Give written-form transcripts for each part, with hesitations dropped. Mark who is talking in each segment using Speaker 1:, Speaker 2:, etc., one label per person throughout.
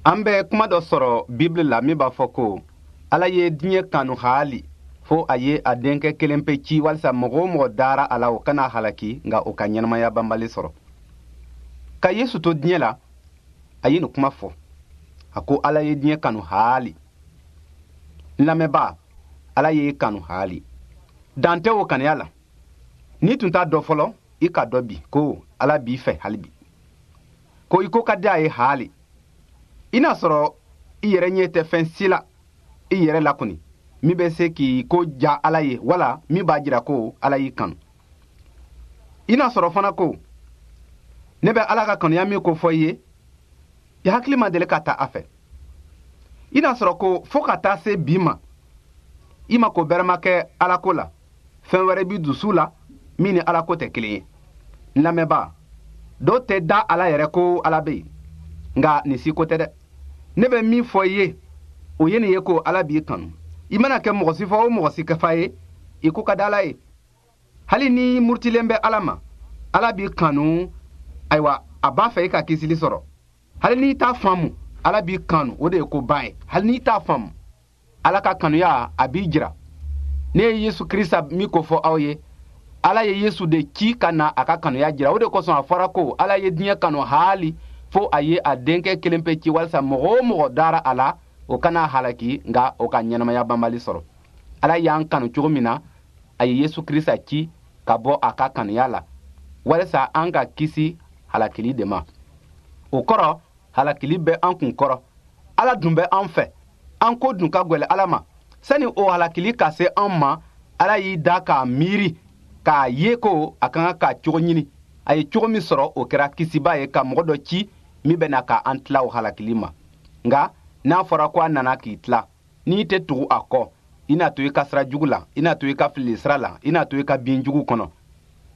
Speaker 1: An bɛ kuma dɔ sɔrɔ Bibili la min b'a fɔ ko Ala ye diɲɛ kanu haali fo a ye a denkɛ kelen pe ci walisa mɔgɔ o mɔgɔ dara a la o kana halaki nka o ka ɲɛnamaya banbali sɔrɔ. Ka Yesu to diɲɛ la, a ye nin kuma fɔ. A ko Ala ye diɲɛ kanu haali. N lamɛnbaa, Ala ye kanu haali. Dan tɛ o kanuya la. N'i tun t'a dɔn fɔlɔ, i k'a dɔn bi ko Ala b'i fɛ hali bi. Ko i ko ka di a ye haali. I n'a sɔrɔ i yɛrɛ ɲɛ tɛ fɛn si la i yɛrɛ la kɔni min bɛ se k'i ko ja Ala ye wala min b'a jira ko Ala y'i kanu. I n'a sɔrɔ fana ko ne bɛ Ala ka kanuya min ko fɔ i ye, i hakili ma deli ka ta a fɛ. I n'a sɔrɔ ko fo ka taa se bi ma, i ma ko bɛrɛ ma kɛ Ala ko la, fɛn wɛrɛ b'i dusu la min ni Ala ko tɛ kelen ye. N lamɛnbaa, dɔw tɛ da Ala yɛrɛ ko Ala bɛ yen, nka nin si ko tɛ dɛ. Ne bɛ min fɔ i ye, o ye nin ye ko Ala b'i kanu. I mana kɛ mɔgɔ sifa o mɔgɔ sifa ye, i ko ka di Ala ye. Hali ni murutilen bɛ Ala ma, Ala b'i kanu, ayiwa a b'a fɛ i ka kisili sɔrɔ. Hali n'i t'a faamu, Ala b'i kanu, o de ye koba ye. Hali n'i t'a faamu, Ala ka kanuya a b'i jira. Ne ye Yesu Krista min ko fɔ aw ye, Ala ye Yesu de ci ka na a ka kanuya jira. O de kosɔn a fɔra ko Ala ye diɲɛ kanu haali fo a ye a denkɛ kelen pe ci walisa mɔgɔ o mɔgɔ dara a la, o kana halaki nka o ka ɲɛnamaya banbali sɔrɔ. Ala y'an kanu cogo min na, a ye Yesu Krista ci ka bɔ a ka kanuya la walisa an ka kisi halakili de ma. O kɔrɔ, halakili bɛ an kun kɔrɔ. Ala dun bɛ an fɛ. An ko dun ka gwɛlɛ Ala ma. Sani o halakili ka se an ma, Ala y'i da k'a miiri k'a ye ko a ka kan ka cogo ɲini. A ye cogo min sɔrɔ, o kɛra kisiba ye ka mɔgɔ dɔ ci min bɛna ka an tila o halakili ma. Nka n'a fɔra ko a nana k'i tila, n'i tɛ tugu a kɔ, i n'a to i ka sira jugu la, i n'a to i ka fili sira la, i n'a to i ka bin jugu kɔnɔ.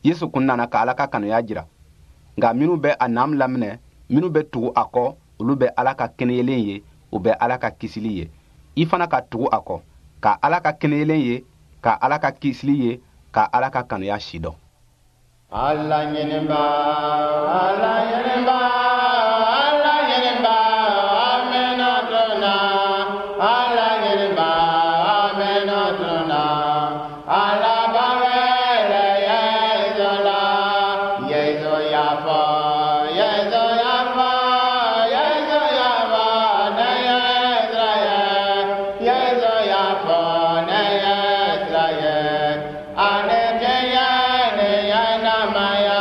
Speaker 1: Yesu kun nana ka Ala ka kanuya jira. Nka minnu bɛ a naam laminɛ, minnu bɛ tugu a kɔ, olu bɛ Ala ka kɛnɛyelen ye, u bɛ Ala ka kisili ye. I fana ka tugu a kɔ, ka Ala ka kɛnɛyelen ye, ka Ala ka kisili ye, ka Ala ka kanuya si dɔn.
Speaker 2: Ala ɲinibaa, Ala ɲinibaa, Ala ɲinibaa, amina donna. Ala ɲinibaa, amina donna. Ala bangele Yesu la. Yesu y'a fɔ, Yesu y'a fɔ, Yesu y'a fɔ, ne ye sira ye. Yesu y'a fɔ, ne ye sira ye. Ani diɲɛ ni ɲɛnamaya.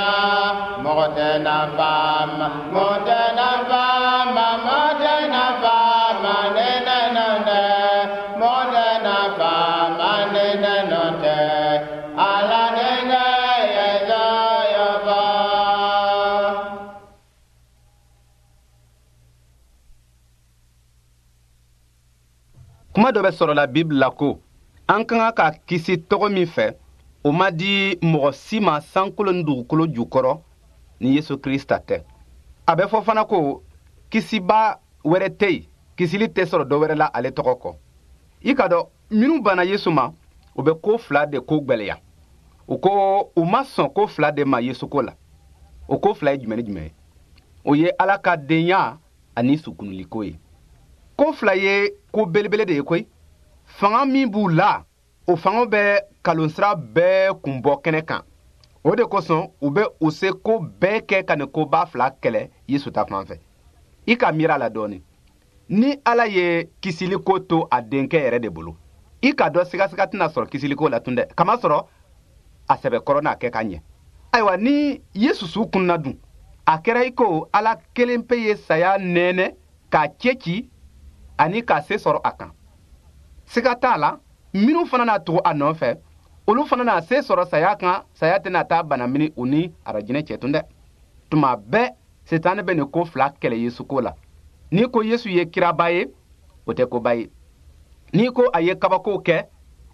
Speaker 2: Mɔgɔ tɛ na faama, mɔgɔ tɛ na faama, mɔgɔ tɛ na faama ni ne nɔ tɛ. Mɔgɔ tɛ na faama ni ne nɔ tɛ. Ala denkɛ Yesu y'o fɔ.
Speaker 1: Kuma dɔ bɛ sɔrɔla Bibili la ko an ka kan ka kisi tɔgɔ min fɛ, o ma di mɔgɔ si ma sankolo ni dugukolo jukɔrɔ ni Yesu Krista tɛ. A bɛ fɔ fana ko kisiba wɛrɛ tɛ yen, kisili tɛ sɔrɔ dɔ wɛrɛ la ale tɔgɔ kɔ. I ka dɔn minnu banna Yesu ma, u bɛ ko fila de ko gwɛlɛya. U ko u ma sɔn ko fila de ma Yesu ko la. O ko fila ye jumɛn ni jumɛn ye? O ye Ala ka denya ani sukunuliko ye. Ko fila ye ko belebele de ye koyi. Fanga min b'u la, o fanga bɛ kalonsira bɛɛ kun bɔ kɛnɛ kan. O de kosɔn u bɛ u se ko bɛɛ kɛ ka nin koba fila kɛlɛ Yesu ta fan fɛ. I ka miiri a la dɔɔnin. Ni Ala ye kisiliko to a denkɛ yɛrɛ de bolo, i k'a dɔn sigasiga tɛna sɔrɔ kisiliko la tun dɛ, kamasɔrɔ a sɛbɛkɔrɔ n'a kɛ ka ɲɛ. Ayiwa ni Yesu su kunna dun, a kɛra i ko Ala kelen pe ye saya nɛɛnɛ k'a cɛ ci ani k'a se sɔrɔ a kan. Siga t'a la, minnu fana n'a tugu a nɔfɛ, olu fana n'a se sɔrɔ saya kan, saya tɛna taa bana mini u ni arajinɛ cɛ tun dɛ. Tuma bɛɛ Sitanɛ bɛ nin ko fila kɛlɛ Yesu ko la. N'i ko Yesu ye kiraba ye, o tɛ koba ye. N'i ko a ye kabakow kɛ,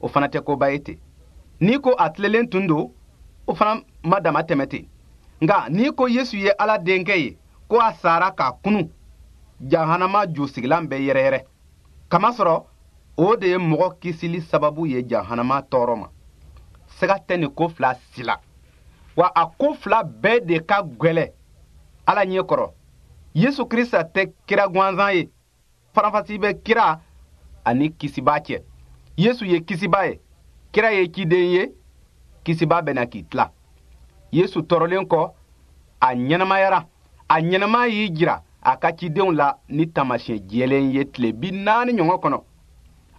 Speaker 1: o fana tɛ koba ye ten. N'i ko a tilelen tun don, o fana ma dama tɛmɛ ten. Nka n'i ko Yesu ye Ala denkɛ ye, ko a sara k'a kunu, jahanama jusigilan bɛ yɛrɛyɛrɛ. Kamasɔrɔ o de ye mɔgɔ kisili sababu ye jahanama tɔɔrɔ ma. Siga tɛ nin ko fila si la. Wa a ko fila bɛɛ de ka gwɛlɛ Ala ɲɛ kɔrɔ. Yesu Krista tɛ kira gansan ye. Faranfasi bɛ kira ani kisibaa cɛ. Yesu ye kisibaa ye, kira ye ciden ye, kisibaa bɛna k'i tila. Yesu tɔɔrɔlen kɔ, a ɲɛnamayara. A ɲɛnama y'i jira a ka cidenw la ni taamasiyɛn jɛlen ye tile 40 ɲɔgɔn kɔnɔ.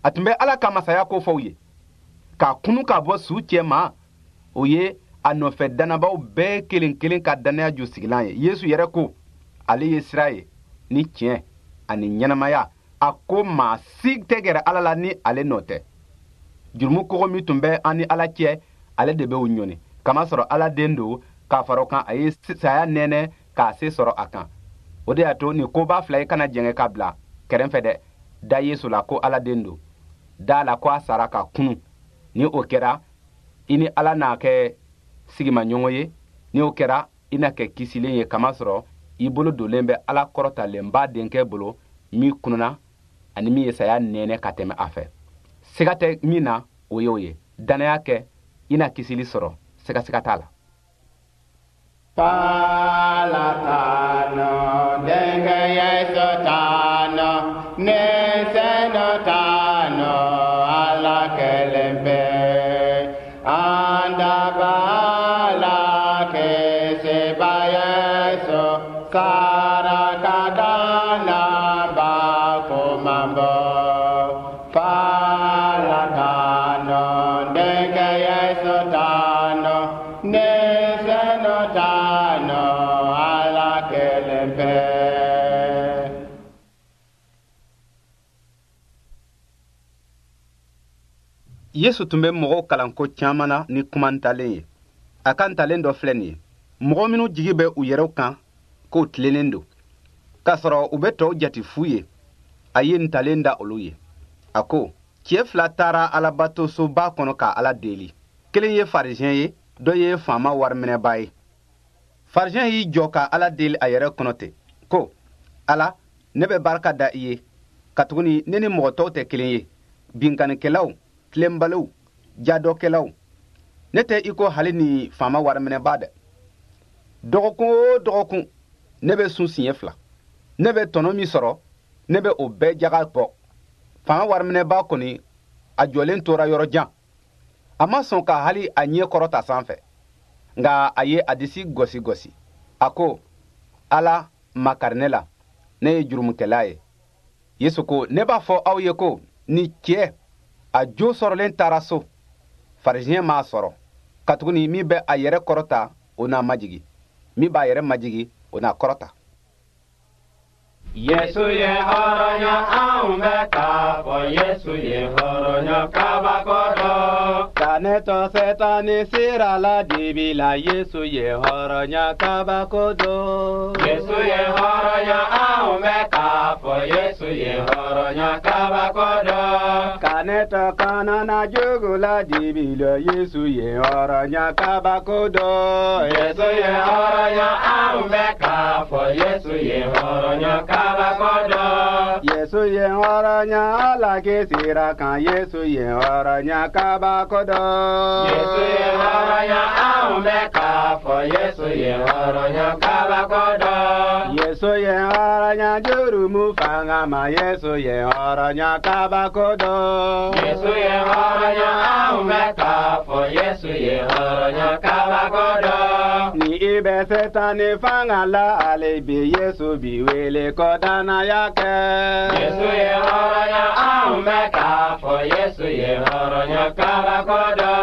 Speaker 1: A tun bɛ Ala ka masaya ko fɔ u ye. K'a kunu ka bɔ su cɛ ma, o ye a nɔfɛ dannabaw bɛɛ kelen kelen ka dannaya ju sigilan ye. Yesu yɛrɛ ko ale ye sira ye ni tiɲɛ ani ɲɛnamaya. A ko maa si tɛ gɛrɛ Ala la ni ale nɔ tɛ. Jurumu kogo min tun bɛ an ni Ala cɛ, ale de bɛ o ɲɔni. Kamasɔrɔ Ala den don, k'a fara o kan a ye saya nɛnɛ k'a se sɔrɔ a kan. O de y'a to nin koba fila ye kana jɛngɛ ka bila kɛrɛfɛ dɛ. Da Yesu la ko Ala den don, da la ko a sara ka kunu. Ni o kɛra, i ni Ala n'a kɛ sigimaɲɔgɔn ye. Ni o kɛra, i na kɛ kisilen ye, kamasɔrɔ i bolo donlen bɛ Ala kɔrɔtalenba denkɛ bolo min kununa ani min ye saya nɛnɛ ka tɛmɛ a fɛ. Siga tɛ min na, o ye o ye. Dannaya kɛ, i na kisili sɔrɔ, sigasiga t'a la.
Speaker 2: Palatano, denkɛ Yesu tano, ne senu tano, Ala kelen pe. An daba Ala kisibaa Yesu, sarakadana bakumambo. Palatano, denkɛ Yesu tano, ne senu tano, Ala kelen pe.
Speaker 1: Yesu tun bɛ mɔgɔw kalan ko caman na ni kuma ntalen ye. A ka ntalen dɔ filɛ nin ye. Mɔgɔ minnu jigi bɛ u yɛrɛw kan k'o tilennen don, k'a sɔrɔ u bɛ tɔw jate fu ye, a ye ntalen da olu ye. A ko, cɛ fila taara Alabatosoba kɔnɔ ka Ala deli. Kelen ye farisiyɛn ye, dɔ ye faama wariminɛbaa ye. Farisiyɛn y'i jɔ ka Ala deli a yɛrɛ kɔnɔ ten ko, Ala, ne bɛ barika da i ye, katuguni ne ni mɔgɔ tɔw tɛ kelen ye, binkannikɛlaw, tilenbaliw, jadɔkɛlaw. Ne tɛ i ko hali ni faama wariminɛbaa dɛ. Dɔgɔkun o dɔgɔkun, ne bɛ sun siɲɛ 2. Ne bɛ tɔnɔ min sɔrɔ, ne bɛ o bɛɛ jaga bɔ. Faama wariminɛbaa kɔni, a jɔlen tora yɔrɔ jan. A ma sɔn ka hali a ɲɛ kɔrɔta sanfɛ, nka a ye a disi gosi gosi. A ko, Ala makari ne la, ne ye jurumukɛla ye. Yesu ko, ne b'a fɔ aw ye ko ni cɛ a jo sɔrɔlen taara so, farisiyɛn m'a sɔrɔ, katuguni min bɛ a yɛrɛ kɔrɔta, o n'a majigi. Min b'a yɛrɛ majigi, o n'a kɔrɔta.
Speaker 2: Yesu ye hɔrɔnya, anw bɛ k'a fɔ Yesu ye hɔrɔnya kabako dɔ.
Speaker 1: Ka ne to Sɛtani sira la dibi la, Yesu ye hɔrɔnya kabako dɔ.
Speaker 2: Yesu ye hɔrɔnya, anw bɛ k'a fɔ Yesu ye hɔrɔnya kabako dɔ.
Speaker 1: Ka ne to kanana jugu la dibi la, Yesu ye hɔrɔnya kabako dɔ.
Speaker 2: Yesu ye hɔrɔnya, anw bɛ k'a fɔ Yesu ye hɔrɔnya kabako dɔ.
Speaker 1: Yesu ye hɔrɔnya Ala kisira kan, Yesu ye hɔrɔnya kabako dɔ.
Speaker 2: Yesu ye hɔrɔnya, anw bɛ k'a fɔ Yesu ye hɔrɔnya kabako dɔ.
Speaker 1: Yesu ye hɔrɔnya jurumu fanga ma, Yesu ye hɔrɔnya kabako dɔ.
Speaker 2: Yesu ye hɔrɔnya, anw bɛ k'a fɔ Yesu ye hɔrɔnya kabako dɔ.
Speaker 1: Ni i bɛ Sɛtani fanga la, ale bi Yesu bi wele ko dannaya kɛ.
Speaker 2: Yesu ye hɔrɔnya, anw bɛ k'a fɔ Yesu ye hɔrɔnya kabako dɔ.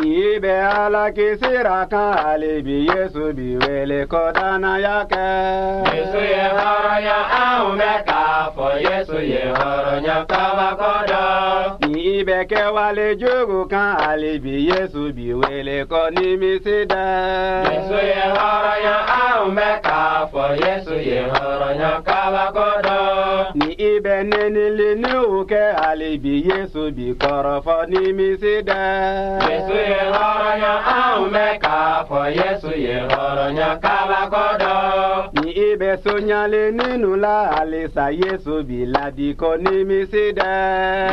Speaker 1: Ni i bɛ Ala kisira kan, ale bi Yesu bi wele ko dannaya kɛ.
Speaker 2: Yesu ye hɔrɔnya, anw bɛ k'a fɔ Yesu ye hɔrɔnya kabako dɔ.
Speaker 1: Ni i bɛ kɛwale jugu kan, ale bi Yesu bi wele ko nimisi dɛ.
Speaker 2: Yesu ye hɔrɔnya, anw bɛ k'a fɔ Yesu ye hɔrɔnya kabako dɔ.
Speaker 1: Ni i bɛ neniliniw kɛ, ale bi Yesu bi kɔrɔfɔ nimisi dɛ.
Speaker 2: Yesu ye hɔrɔnya, anw bɛ k'a fɔ Yesu ye hɔrɔnya kabako dɔ.
Speaker 1: Ni i bɛ Yesu ɲalen ninu la halisa Yesu b'i ladi ko nimisi dɛ.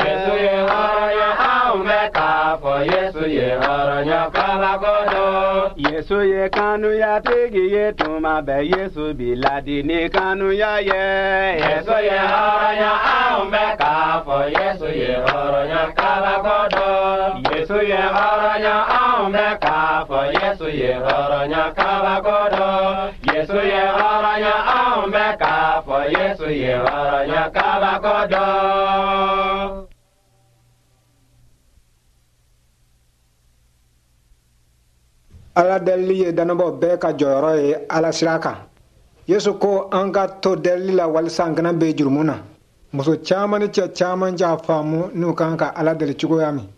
Speaker 2: Yesu ye hɔrɔnya anw bɛ k'a fɔ Yesu ye hɔrɔnya kabako don.
Speaker 1: Yesu ye kanuyatigi ye tuma bɛɛ Yesu b'i ladi ni kanuya ye.
Speaker 2: Yesu ye hɔrɔnya anw bɛ k'a fɔ Yesu ye hɔrɔnya kabako don. Yesu ye hɔrɔnya anw bɛ k'a fɔ Yesu ye hɔrɔnya kabako don. Yesu ye hɔrɔnya anw bɛ k'a fɔ Yesu ye hɔrɔnya kabako don.
Speaker 3: Ala delili ye dannabaaw bɛɛ ka jɔyɔrɔ ye Ala sira kan. Yesu ko an ka to delili la walisa an kana ben jurumu na. Muso caman ni cɛ caman j'a faamu n'u kan ka Ala deli cogoya min.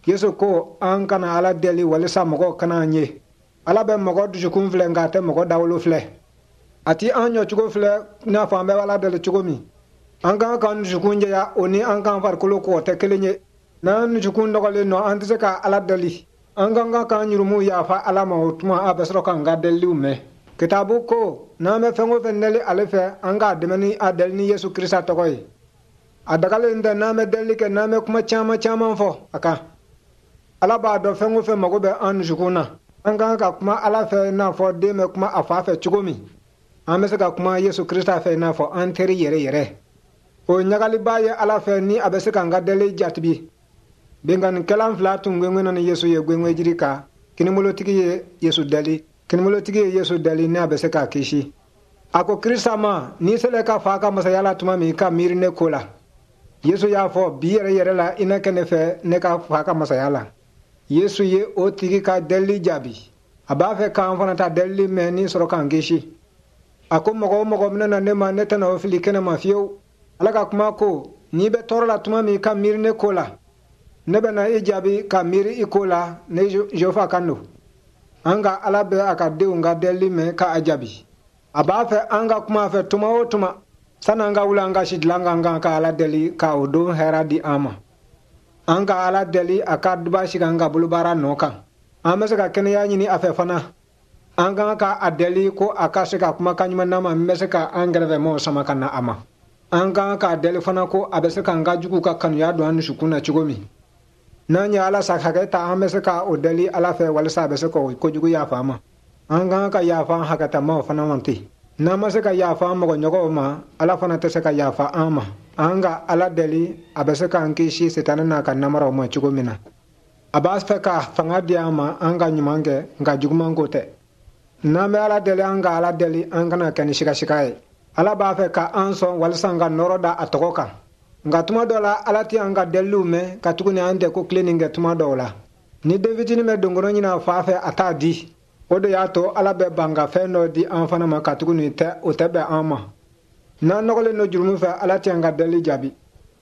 Speaker 3: Yesu ko an kana Ala deli walisa mɔgɔw kana an ye. Ala bɛ mɔgɔ dusukun filɛ nka a tɛ mɔgɔ dawolo filɛ. A ti an ɲɔcogo filɛ i n'a fɔ an bɛ Ala deli cogo min. An kan k'an dusukun jɛya o ni an k'an farikolo ko o tɛ kelen ye. N'an dusukun nɔgɔlen don an tɛ se ka Ala deli. An ka kan k'an jurumuw yafa Ala ma o tuma a bɛ sɔrɔ k'an ka deliliw mɛn. Kitabu ko n'an bɛ fɛn o fɛn deli ale fɛ an k'a dɛmɛ ni a deli ni Yesu Kirisa tɔgɔ ye. A dagalen tɛ n'an bɛ delili kɛ n'an bɛ kuma caman caman fɔ a kan. Ala b'a dɔn fɛn o fɛn mago bɛ an dusukun na. An kan ka kuma Ala fɛ i n'a fɔ den bɛ kuma a fa fɛ cogo min. An bɛ se ka kuma Yesu Kirisa fɛ i n'a fɔ an teri yɛrɛ yɛrɛ. O ɲagaliba ye Ala fɛ ni a bɛ se k'an ka deli jatibi. Binkannikɛla fila tun gɛngɛnna ni Yesu ye gɛngɛnjiri kan. Kininbolotigi ye Yesu deli. Kininbolotigi ye Yesu deli n'a bɛ se k'a kisi. A ko Kirisa ma, n'i sera ka fa ka masaya la tuma min i ka miiri ne ko la. Yesu y'a fɔ bi yɛrɛ yɛrɛ la i na kɛ ne fɛ ne ka fa ka masaya la. Yesu ye o tigi ka delili jaabi. A b'a fɛ k'an fana ta delili mɛn ni sɔrɔ k'an kisi. A ko mɔgɔ o mɔgɔ bɛna na ne ma ne tɛna o fili kɛnɛ ma fiyewu. Ala ka kuma ko n'i bɛ tɔɔrɔ la tuma min i ka miiri ne ko la. Ne bɛna i jaabi ka miiri i ko la ne Jehova kan don. An ka Ala bɛ a ka denw ka delili mɛn k'a jaabi. A b'a fɛ an ka kuma a fɛ tuma o tuma sani an ka wuli an ka si dilan kan kan ka Ala deli ka o don hɛrɛ di an ma. An ka Ala deli a ka duba sigi an ka bolobaara nɔ kan. An bɛ se ka kɛnɛya ɲini a fɛ fana. An kan ka a deli ko a ka se ka kumakan ɲuman d'an ma min bɛ se ka an kɛrɛfɛmɔgɔw sama ka na a ma. An kan k'a deli fana ko a bɛ se k'an ka juguw ka kanuya don an dusukun na cogo min. N'an ye Ala sa hakɛ ta an bɛ se ka o deli Ala fɛ walisa a bɛ se k'o kojugu yafa an ma. An kan ka yafa an hakɛtamaw fana ma ten. N'an ma se ka yafa an mɔgɔɲɔgɔnw ma, Ala fana tɛ se ka yafa an ma. An ka Ala deli a bɛ se k'an kisi Sitanɛ n'a ka namaraw ma cogo min na. A b'a fɛ ka fanga di an ma an ka ɲuman kɛ nka juguman ko tɛ. N'an bɛ Ala deli an ka Ala deli an kana kɛ ni sigasiga ye. Ala b'a fɛ ka an sɔn walisa an ka nɔrɔ da a tɔgɔ kan. Nka tuma dɔ la Ala tɛ an ka deliliw mɛn katuguni an tɛ ko tilennen kɛ tuma dɔw la. Ni den fitinin bɛ donkɔnɔ ɲini a fa fɛ a t'a di. O de y'a to Ala bɛ ban ka fɛn dɔ di an fana ma katuguni o tɛ bɛn an ma. N'an nɔgɔlen don jurumu fɛ Ala tɛ an ka delili jaabi.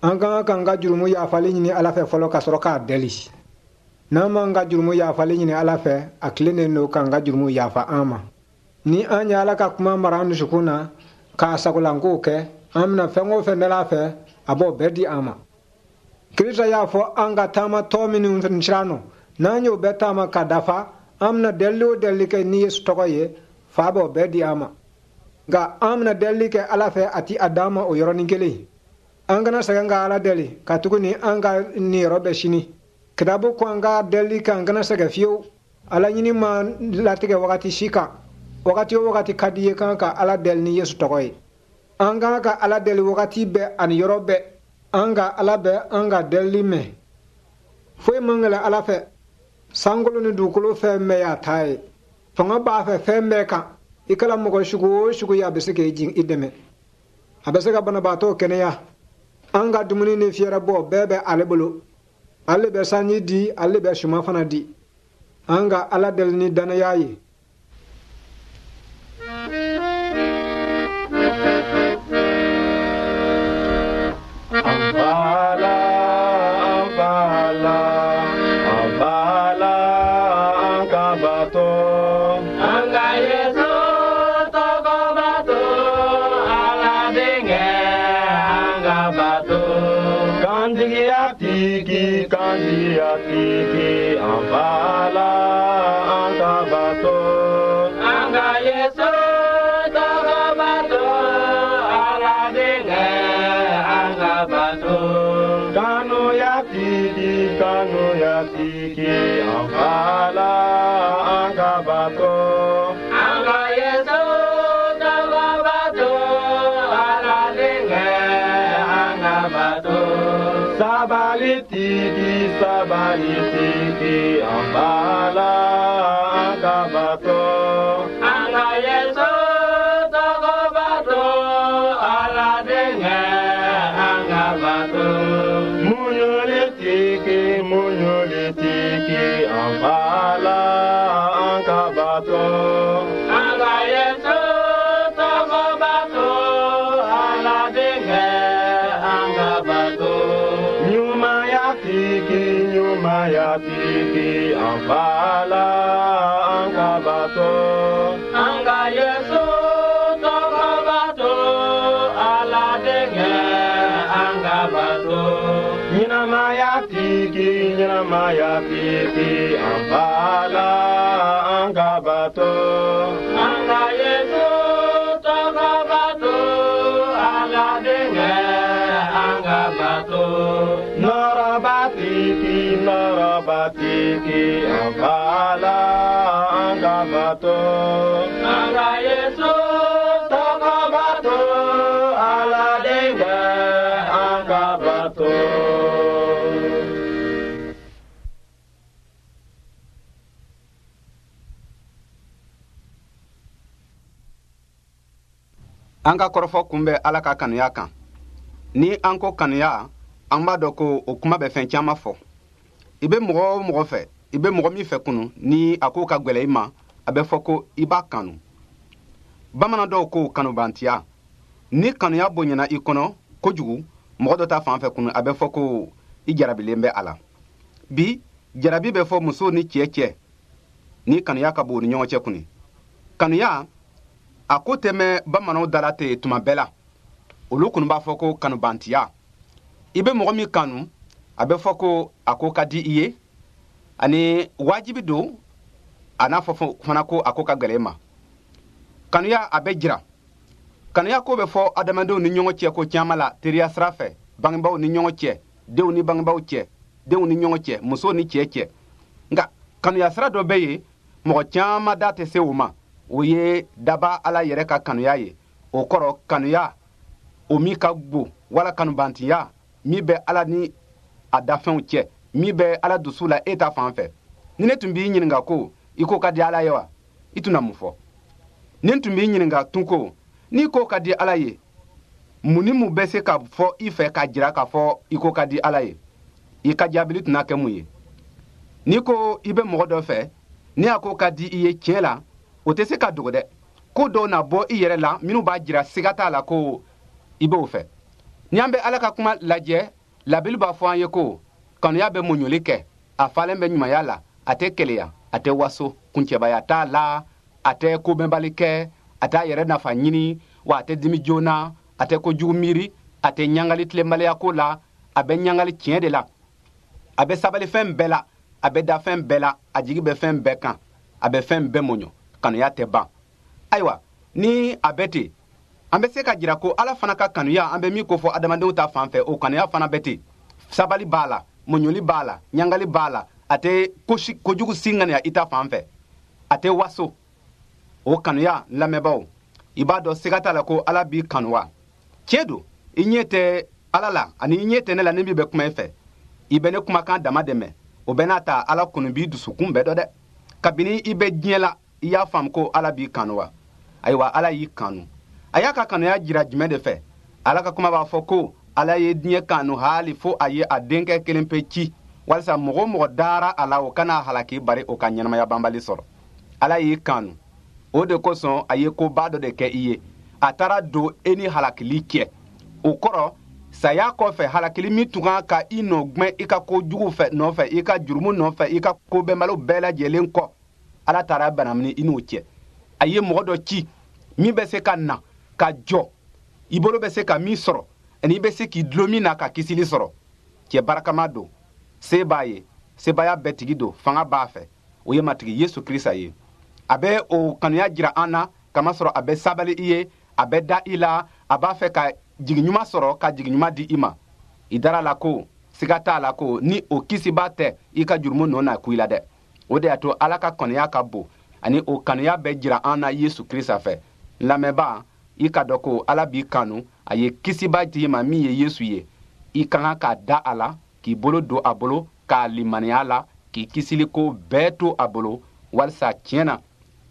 Speaker 3: An ka kan k'an ka jurumu yafali ɲini Ala fɛ fɔlɔ ka sɔrɔ k'a deli. N'an m'an ka jurumu yafali ɲini Ala fɛ, a tilennen don k'an ka jurumu yafa an ma. Ni an ye Ala ka kuma mara an dusukun na k'a sagolankow kɛ, an bɛna fɛn o fɛn deli a fɛ, a b'o bɛɛ di an ma. Kirisa y'a fɔ an ka taama tɔ minnu sira nɔ, n'an y'o bɛɛ taama ka dafa, an bɛna delili o delili kɛ ni Yesu tɔgɔ ye, fa b'o bɛɛ di an ma. Nka an bɛna delili kɛ Ala fɛ a ti a d'an ma o yɔrɔnin kelen. An kana sɛgɛn ka Ala deli katuguni an ka niyɔrɔ bɛ sini. Kitabu ko an ka delili kɛ an kana sɛgɛn fiyewu. Ala ɲini ma latigɛ wagati si kan. Wagati o wagati ka di ye kan ka Ala deli ni Yesu tɔgɔ ye. An kan ka Ala deli wagati bɛɛ ani yɔrɔ bɛɛ. An ka Ala bɛ an ka delili mɛn. Foyi man gɛlɛn Ala fɛ. Sankolo ni dugukolo fɛn bɛɛ y'a ta ye. Fanga b'a fɛ fɛn bɛɛ kan. I kɛra mɔgɔ sugu o sugu ye a bɛ se k'i i dɛmɛ. A bɛ se ka banabaatɔ kɛnɛya. An ka dumuni ni fiyɛrɛbɔ bɛɛ bɛ ale bolo. Ale bɛ sanji di, ale bɛ suman fana di. An ka Ala deli ni dannaya ye.
Speaker 2: Kantigiya tigi an fa la an ka bato. An ka Yesu tɔgɔ bato. tigi an fa la an ka bato. An ka Yesu tɔgɔ bato, Ala denkɛ an ka bato. Muɲuli tigi, muɲuli tigi an fa la an ka bato. An ka Yesu tɔgɔ bato, Ala denkɛ an ka bato. Ɲumanya tigi, ɲumanya tigi an fa la an ka bato. An ka Yesu tɔgɔ bato, Ala denkɛ an ka bato. Ɲɛnamaya tigi, ɲɛnamaya tigi an fa la an ka bato. An ka Yesu tɔgɔ bato, Ala denkɛ an ka bato. Nɔrɔba tigi, nɔrɔba tigi an fa la an ka bato. An ka Yesu tɔgɔ bato, Ala denkɛ an ka bato.
Speaker 1: An ka kɔrɔfɔ kun bɛ Ala ka kanuya kan. Ni an ko kanuya, an b'a dɔn ko o kuma bɛ fɛn caman fɔ. I bɛ mɔgɔ o mɔgɔ fɛ, i bɛ mɔgɔ min fɛ kunu, ni a ko ka gwɛlɛ i ma, a bɛ fɔ ko i b'a kanu. Bamanan dɔw ko kanubantiya. Ni kanuya bonyana i kɔnɔ kojugu, mɔgɔ dɔ ta fan fɛ kunu, a bɛ fɔ ko i jarabilen bɛ a la. Bi, jarabi bɛ fɔ muso ni cɛ cɛ, ni kanuya ka bon u ni ɲɔgɔn cɛ kunu. Kanuya, a ko tɛ mɛn bamananw da la ten tuma bɛɛ la. Olu kɔni b'a fɔ ko kanubantiya. I bɛ mɔgɔ min kanu, a bɛ fɔ ko a ko ka di i ye, ani wajibi don a n'a fɔ fana ko a ko ka gɛlɛn i ma. Kanuya a bɛ jira. Kanuya ko bɛ fɔ adamadenw ni ɲɔgɔn cɛ ko caman la, teriya sira fɛ, bangebaaw ni ɲɔgɔn cɛ, denw ni bangebaaw cɛ, denw ni ɲɔgɔn cɛ, muso ni cɛ cɛ. Nka kanuya sira dɔ bɛ yen, mɔgɔ caman da tɛ se o ma. O ye daba Ala yɛrɛ ka kanuya ye. O kɔrɔ kanuya o min ka bon, wala kanubantiya min bɛ Ala ni a dafɛnw cɛ, min bɛ Ala dusu la e ta fan fɛ. Ni ne tun b'i ɲininka ko i ko ka di Ala ye wa, i tun na mun fɔ? Ni n tun b'i ɲininka tun ko n'i ko ka di Ala ye, mun ni mun bɛ se ka fɔ i fɛ k'a jira k'a fɔ i ko ka di Ala ye? I ka jaabili tɛna kɛ mun ye? N'i ko i bɛ mɔgɔ dɔ fɛ, ni a ko ka di i ye tiɲɛ la, o tɛ se ka dogo dɛ. Ko dɔw na bɔ i yɛrɛ la minnu b'a jira siga t'a la ko i b'o fɛ. Ni an bɛ Ala ka kuma lajɛ, labili b'a fɔ an ye ko kanuya bɛ muɲuli kɛ, a falen bɛ ɲumanya la, a tɛ keleya, a tɛ waso, kuncɛbaya t'a la, a tɛ kobɛnbali kɛ, a t'a yɛrɛ nafa ɲini, wa a tɛ dimi joona, a tɛ kojugu miiri, a tɛ ɲangali tilenbaliya ko la, a bɛ ɲangali tiɲɛ de la, a bɛ sabali fɛn bɛɛ la, a bɛ da fɛn bɛɛ la, a jigi bɛ fɛn bɛɛ kan, a bɛ fɛn bɛɛ muɲu. Kanuya tɛ ban. Ayiwa, ni a bɛ ten, an bɛ se ka jira ko Ala fana ka kanuya, an bɛ min ko fɔ adamadenw ta fan fɛ, o kanuya fana bɛ ten. Sabali b'a la, muɲuli b'a la, ɲangali b'a la, a tɛ kojugu si ŋaniya i ta fan fɛ, a tɛ waso. O kanuya, lamɛnbaaw, i b'a dɔn siga t'a la ko Ala b'i kanu wa? Tiɲɛ don, i ɲɛ tɛ Ala la ani i ɲɛ tɛ ne la ni min bɛ kuma i fɛ. I bɛ ne kumakan dama dɛmɛ, o bɛ n'a ta Ala kɔni b'i dusukun bɛɛ dɔn dɛ. Kabini i bɛ diɲɛ la, i y'a faamu ko Ala b'i kanu wa? Ayiwa, Ala y'i kanu. A y'a ka kanuya jira jumɛn de fɛ? Ala ka kuma b'a fɔ ko Ala ye diɲɛ kanu haali fo a ye a denkɛ kelen pe ci, walisa mɔgɔ o mɔgɔ dara a la o kana halaki bari o ka ɲɛnamaya banbali sɔrɔ. Ala y'i kanu. O de kosɔn a ye koba dɔ de kɛ i ye. A taara don e ni halakili cɛ. O kɔrɔ, saya kɔfɛ halakili min tun kan ka i nɔ gwɛn i ka kojugu fɛ nɔfɛ, i ka jurumu nɔfɛ, i ka kobɛnbaliw bɛɛ lajɛlen kɔ, Ala taara banamini i n'o cɛ. A ye mɔgɔ dɔ ci min bɛ se ka na ka jɔ, i bolo bɛ se ka min sɔrɔ, ani i bɛ se k'i dulon min na ka kisili sɔrɔ. Cɛ barakama don, se b'a ye, sebaaya bɛɛ tigi don, fanga b'a fɛ. O ye Matigi Yesu Krista ye. A bɛ o kanuya jira an na, kamasɔrɔ a bɛ sabali i ye, a bɛ da i la, a b'a fɛ ka jigi ɲuman sɔrɔ, ka jigi ɲuman di i ma. I dara la ko, siga t'a la ko ni o kisiba tɛ, i ka jurumu nɔ na ku i la dɛ. O de y'a to Ala ka kanuya ka bon, ani o kanuya bɛ jira an na Yesu Krista fɛ. Lamɛnbaa, i ka dɔn ko Ala b'i kanu, a ye kisiba di i ma min ye Yesu ye. I ka kan ka da a la, k'i bolo don a bolo, k'a limaniya la, K'i kisili ko bɛɛ to a bolo walisa tiɲɛ na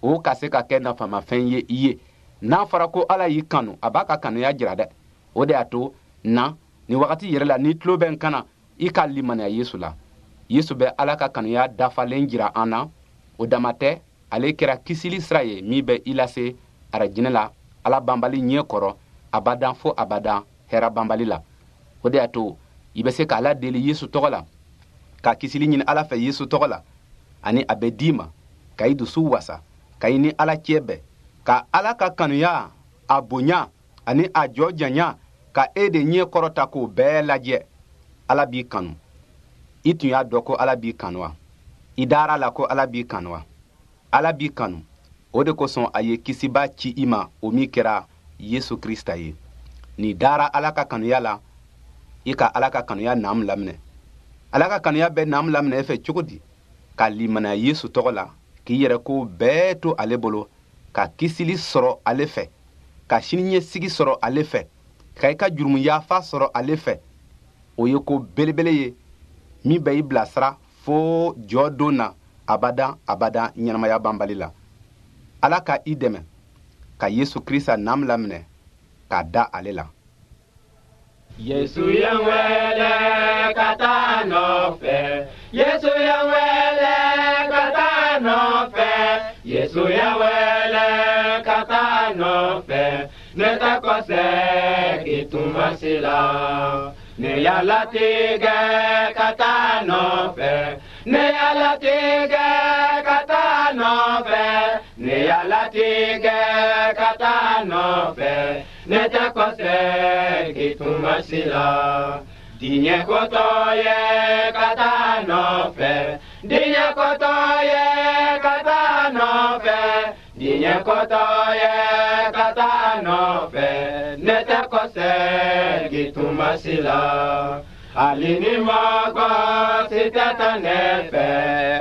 Speaker 1: o ka se ka kɛ nafamafɛn ye i ye. N'a fɔra ko Ala y'i kanu, a b'a ka kanuya jira dɛ. O de y'a to na nin wagati yɛrɛ la, n'i tulo bɛ n kan na, i ka limaniya Yesu la. Yesu bɛ Ala ka kanuya dafalen jira an na. O dama tɛ, ale kɛra kisili sira ye min bɛ i lase arajinɛ la, Ala banbali ɲɛ kɔrɔ, abadan fo abadan, hɛrɛ banbali la. O de y'a to i bɛ se k'Ala deli Yesu tɔgɔ la, ka kisili ɲini Ala fɛ Yesu tɔgɔ la, ani a bɛ d'i ma, ka i dusu wasa, ka i ni Ala cɛ bɛn, ka Ala ka kanuya, a bonya ani a jɔ janya, ka e de ɲɛ kɔrɔta k'o bɛɛ lajɛ. Ala b'i kanu. I tun y'a dɔn ko Ala b'i kanu wa? I dara la ko Ala b'i kanu wa? Ala b'i kanu. O de kosɔn a ye kisiba ci i ma, o min kɛra Yesu Krista ye. N'i dara Ala ka kanuya la, i ka Ala ka kanuya naamu laminɛ. Ala ka kanuya bɛ naamu laminɛ e fɛ cogo di? Ka limaniya Yesu tɔgɔ la, k'i yɛrɛ ko bɛɛ to ale bolo, ka kisili sɔrɔ ale fɛ, ka siniɲɛsigi sɔrɔ ale fɛ, ka i ka jurumu yafa sɔrɔ ale fɛ. O ye ko belebele ye min bɛ i bilasira fo jɔ don na, abadan abadan, ɲɛnamaya banbali la. Ala ka i dɛmɛ ka Yesu Krista naamu laminɛ, k'a da ale la.
Speaker 2: Yesu ye n wele ka taa nɔfɛ. Yesu ye n wele ka taa nɔfɛ. Yesu ye n wele ka taa nɔfɛ. Ne tɛ kɔsegin tuma si la. Ne y'a latigɛ ka taa nɔfɛ. Ne y'a latigɛ ka taa nɔfɛ. Ne y'a latigɛ ka taa nɔfɛ. Ne tɛ kɔsegin tuma si la. Diɲɛ kotɔ ye ka taa nɔfɛ. Diɲɛ kotɔ ye ka taa nɔfɛ. Diɲɛ kotɔ ye ka taa nɔfɛ. Ne tɛ kɔsegin tuma si la. Hali ni mɔgɔ si tɛ taa ne fɛ.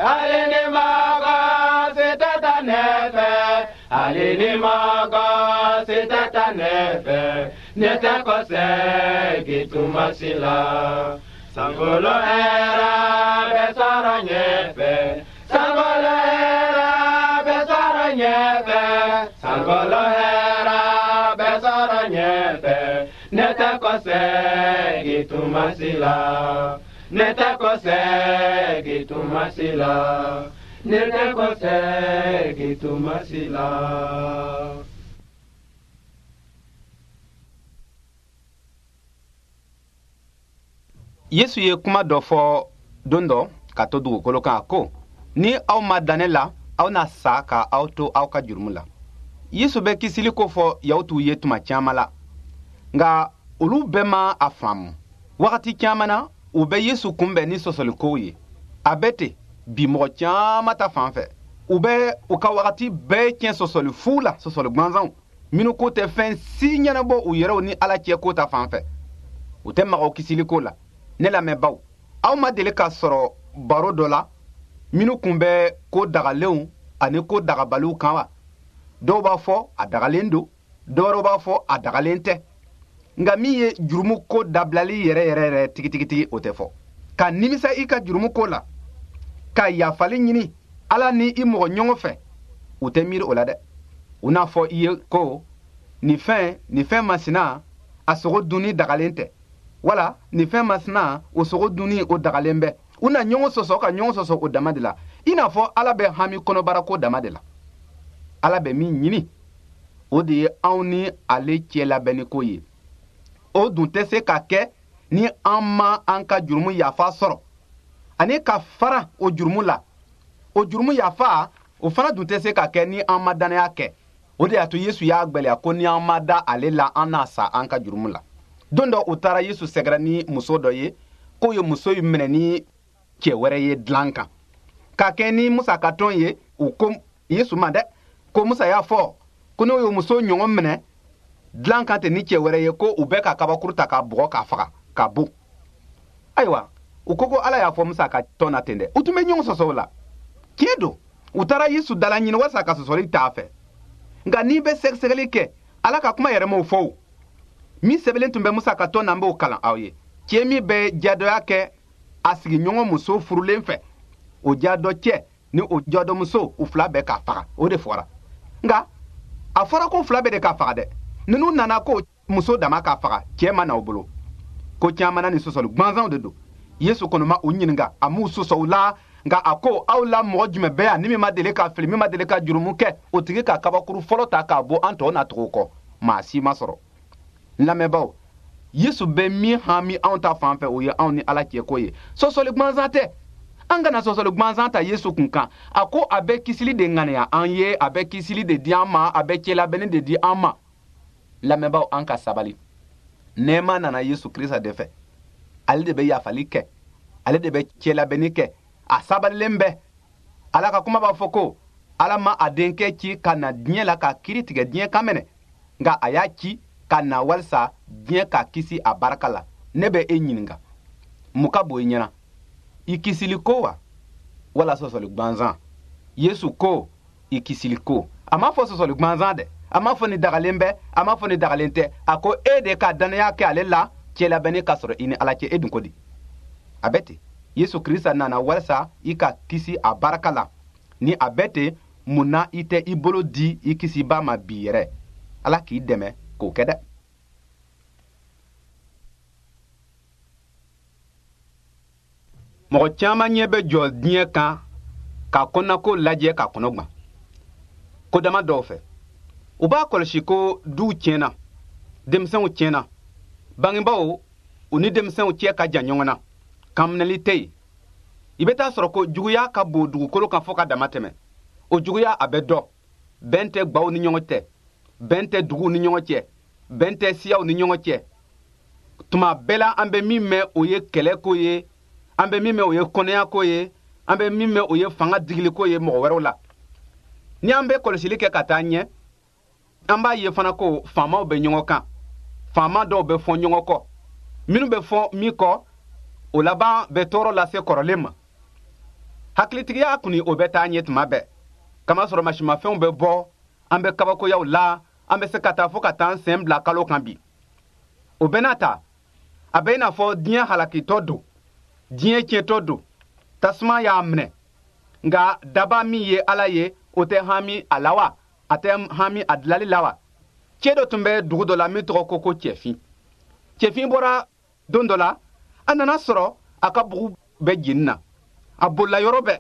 Speaker 2: Hali ni mɔgɔ si tɛ taa ne fɛ. Hali ni mɔgɔ si tɛ taa ne fɛ. Ne tɛ kɔsegin tuma si la. Sankolo hɛrɛ bɛ sɔrɔ ɲɛfɛ. Sankolo hɛrɛ bɛ sɔrɔ ɲɛfɛ. Sankolo hɛrɛ bɛ sɔrɔ ɲɛfɛ. Ne tɛ kɔsegin tuma si la. Ne tɛ kɔsegin tuma si la. Ne tɛ kɔsegin tuma si la.
Speaker 1: Yesu ye kuma dɔ fɔ don dɔ ka to dugukolo kan, a ko, ni aw ma dan ne la, aw na sa ka aw to aw ka jurumu la. Yesu bɛ kisili ko fɔ Yahutuw ye tuma caman la, nka olu bɛɛ ma a faamu. Wagati caman na, u bɛ Yesu kunbɛn ni sɔsɔlikow ye. A bɛ ten bi mɔgɔ caman ta fan fɛ. U bɛ u ka wagati bɛɛ tiɲɛ sɔsɔli fu la, sɔsɔli gansanw minnu ko tɛ fɛn si ɲɛnabɔ u yɛrɛw ni Ala cɛ ko ta fan fɛ. U tɛ maga o kisili ko la. Ne lamɛnbaw, aw ma deli ka sɔrɔ baro dɔ la minnu kun bɛ ko dagalenw ani ko dagabaliw kan wa? Dɔw b'a fɔ a dagalen don, dɔw b'a fɔ a dagalen tɛ. Nka min ye jurumu ko dabilali yɛrɛ yɛrɛ yɛrɛ tigitigitigi, o tɛ fɔ. Ka nimisa i ka jurumu ko la, ka yafali ɲini Ala ni i mɔgɔ ɲɔgɔn fɛ, u tɛ miiri o la dɛ. U n'a fɔ i ye ko nin fɛn masina, a sogo dunni dagalen tɛ, wala nin fɛn masina, o sogo dunni o dagalen bɛ. U na ɲɔgɔn sɔsɔ ka ɲɔgɔn sɔsɔ o dama de la, i n'a fɔ Ala bɛ hami kɔnɔbara ko dama de la. Ala bɛ min ɲini, o de ye anw ni ale cɛ labɛnni ko ye. O dun tɛ se ka kɛ ni an ma an ka jurumu yafa sɔrɔ, ani ka fara o jurumu la. O jurumu yafa, o fana dun tɛ se ka kɛ ni an ma dannaya kɛ. O de y'a to Yesu y'a gwɛlɛya ko ni an ma da ale la, an n'a sa an ka jurumu la. Don dɔ, u taara Yesu sɛgɛrɛ ni muso dɔ ye, k'o ye muso in minɛ ni cɛ wɛrɛ ye dilan kan. K'a kɛ ni Musa ka tɔn ye, u ko Yesu ma dɛ, ko Musa y'a fɔ ko n'o ye muso ɲɔgɔn minɛ dilan kan ten ni cɛ wɛrɛ ye, ko u bɛ ka kabakuru ta k'a bugɔ k'a faga k'a bon. Ayiwa, u ko ko Ala y'a fɔ Musa ka tɔn na ten dɛ. U tun bɛ ɲɔgɔn sɔsɔ o la. Tiɲɛ don, u taara Yesu dala ɲini walasa ka sɔsɔli t'a fɛ. Nka n'i bɛ sɛgɛsɛgɛli kɛ, Ala ka kuma yɛrɛ m'o fɔ o. Min sɛbɛnlen tun bɛ Musa ka tɔn na, n b'o kalan aw ye. Cɛ min bɛ jadɔya kɛ a sigiɲɔgɔn muso furulen fɛ, O diya dɔ cɛ ni o diya dɔ muso, u fila bɛɛ k'a faga, o de fɔra. Nka a fɔra ko fila bɛɛ de k'a faga dɛ. Ninnu nana ko muso dama k'a faga, cɛ ma na o bolo. Ko caman na ni sɔsɔli gwansanw de don. Yesu kɔni ma u ɲininka, a m'u sɔsɔ u la, nka a ko aw la mɔgɔ jumɛn bɛ yan ni min ma deli ka fili, min ma deli ka jurumu kɛ, o tigi ka kabakuru fɔlɔ ta k'a bɔ an tɔw na tugu kɔ. Maa si ma sɔrɔ. N lamɛnbaaw, Yesu bɛ min hami anw ta fan fɛ, o ye anw ni Ala cɛ ko ye. Sɔsɔli gwansan tɛ. An kana sɔsɔli gwansan ta Yesu kun kan. A ko a bɛ kisili de ŋaniya an ye, a bɛ kisili de di an ma, a bɛ cɛlabɛnni de di an ma. Lamɛnbaaw, an ka sabali. Nɛɛma nana Yesu Krista de fɛ. Ale de bɛ yafali kɛ, ale de bɛ cɛlabɛnni kɛ. A sabalilen bɛ. Ala ka kuma b'a fɔ ko Ala ma a denkɛ ci ka na diɲɛ la ka kiiri tigɛ diɲɛ kan minɛ, nka a y'a ci ka na walisa diɲɛ ka kisi a barika la. Ne bɛ e ɲininka, mun ka bon i ɲɛna, i kisili ko wa, wala sɔsɔli gwansan? Yesu ko i kisili ko. A m'a fɔ sɔsɔli gwansan dɛ, a m'a fɔ ni dagalen bɛ, a m'a fɔ ni dagalen tɛ. A ko e de ka dannaya kɛ ale la, cɛlabɛnni ka sɔrɔ i ni Ala cɛ. E dun ko di? A bɛ ten. Yesu Krista nana walisa i ka kisi a barika la. Ni a bɛ ten, mun na i tɛ i bolo di i kisiba ma bi yɛrɛ? Ala k'i dɛmɛ k'o kɛ dɛ. Mɔgɔ caman ɲɛ bɛ jɔ diɲɛ kan ka kɔnɔnako lajɛ ka kɔnɔ gwan ko dama dɔw fɛ. U b'a kɔlɔsi ko duw tiɲɛna, denmisɛnw tiɲɛna, bangebaaw u ni denmisɛnw cɛ ka jan ɲɔgɔn na, kanminɛli tɛ yen. I bɛ taa sɔrɔ ko juguya ka bon dugukolo kan fo ka dama tɛmɛ. O juguya a bɛ dɔn. Bɛn tɛ gbaw ni ɲɔgɔn cɛ, bɛn tɛ duguw ni ɲɔgɔn cɛ, bɛn tɛ siyaw ni ɲɔgɔn cɛ. Tuma bɛɛ la an bɛ min mɛn o ye kɛlɛko ye, an bɛ min mɛn o ye kɔnɛyako ye, an bɛ min mɛn o ye fanga digiliko ye mɔgɔ wɛrɛw la. Ni an bɛ kɔlɔsili kɛ ka taa ɲɛ, an b'a ye fana ko faamaw bɛ ɲɔgɔn kan, faama dɔw bɛ fɔ ɲɔgɔn kɔ. Minnu bɛ fɔ min kɔ, o laban bɛ tɔɔrɔ lase kɔrɔlen ma. Hakilitigiya kɔni o bɛ taa ɲɛ tuma bɛɛ, kamasɔrɔ masimafɛnw bɛ bɔ, an bɛ kabakoyaw la, an bɛ se ka taa fo ka taa an sen bila kalo kan bi. O bɛɛ n'a ta, a bɛ i n'a fɔ diɲɛ halakitɔ don, diɲɛ tiɲɛtɔ don, tasuma y'a minɛ. Nka daba min ye Ala ye, o tɛ hami a la wa? A tɛ hami a dilali la wa? Cɛ dɔ tun bɛ dugu dɔ la min tɔgɔ ko Cɛfin. Cɛfin bɔra don dɔ la, a nana sɔrɔ a ka bugu bɛ jeni na. A bolila yɔrɔ bɛɛ.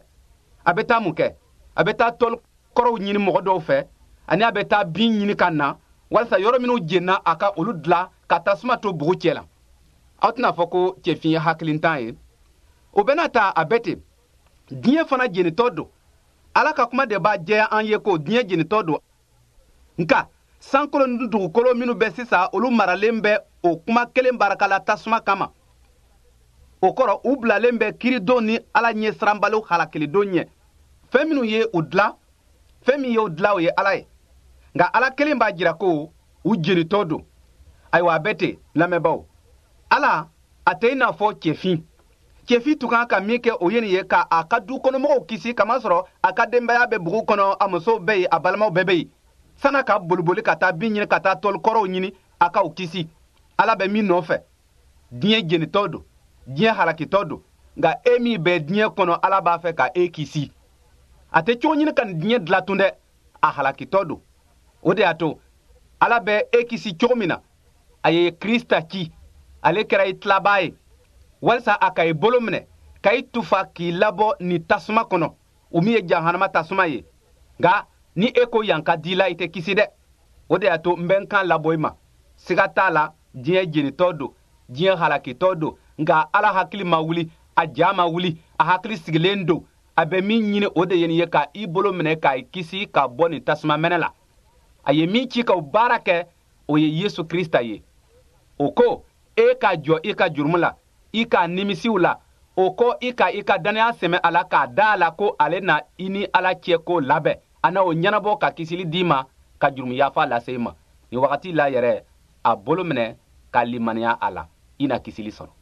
Speaker 1: A bɛ taa mun kɛ? A bɛ taa tɔli kɔrɔw ɲini mɔgɔ dɔw fɛ, ani a bɛ taa bin ɲini ka na walasa yɔrɔ minnu jenina a ka olu dilan ka tasuma to bugu cɛ la. Aw tɛna fɔ ko Cɛfin ye hakilintan ye. O bɛɛ n'a ta, a bɛ ten. Diɲɛ fana jenitɔ don. Ala ka kuma de b'a jɛya an ye ko diɲɛ jenitɔ don. Nka sankolo ni dugukolo minnu bɛ sisan, olu maralen bɛ o kuma kelen barika la tasuma kama. O kɔrɔ, u bilalen bɛ kiiridon ni Ala ɲɛsiranbaliw halakilidon ɲɛ. Fɛn minnu ye u dilan, fɛn min y'o dilan, o ye Ala ye. Nka Ala kelen b'a jira ko u jenitɔ don. Ayiwa, a bɛ ten, lamɛnbaaw. Ala, a tɛ i n'a fɔ cɛfin. Cɛfin tun kan ka min kɛ, o ye nin ye ka a ka du kɔnɔmɔgɔw kisi, kamasɔrɔ a ka denbaya bɛ bugu kɔnɔ, a musow bɛ yen, a balimaw bɛɛ bɛ yen. San'a ka boliboli ka taa bin ɲini, ka taa tɔli kɔrɔw ɲini, a k'aw kisi. Ala bɛ min nɔfɛ, diɲɛ jenitɔ don, diɲɛ halakitɔ don. Nka e min bɛ diɲɛ kɔnɔ, Ala b'a fɛ ka e kisi. A tɛ cogo ɲini ka nin diɲɛ dilan tun dɛ, a halakitɔ don. O de y'a to Ala bɛ e kisi cogo min na, a ye Krista ci, ale kɛra i tilabaa ye, walisa a ka i bolo minɛ ka i tufa k'i labɔ nin tasuma kɔnɔ, o min ye jahanama tasuma ye. Nka ni e ko yan ka di la, i tɛ kisi dɛ. O de y'a to n bɛ n kan labɔ i ma. Siga t'a la, diɲɛ jenitɔ don, diɲɛ halakitɔ don, nka Ala hakili ma wuli, a ja ma wuli, a hakili sigilen don. A bɛ min ɲini, o de ye nin ye ka i bolo minɛ k'a kisi ka bɔ nin tasuma mɛnɛ la. A ye min ci ka o baara kɛ, o ye Yesu Krista ye. O ko e ka jɔ i ka jurumu la, i ka nimisiw la, o ko i ka i ka dannaya sɛmɛ a la k'a da a la ko ale na i ni Ala cɛ ko labɛn, a na o ɲɛnabɔ ka kisili d'i ma, ka jurumu yafa lase i ma. Nin wagati la yɛrɛ, a bolo minɛ ka limaniya a la, i na kisili sɔrɔ.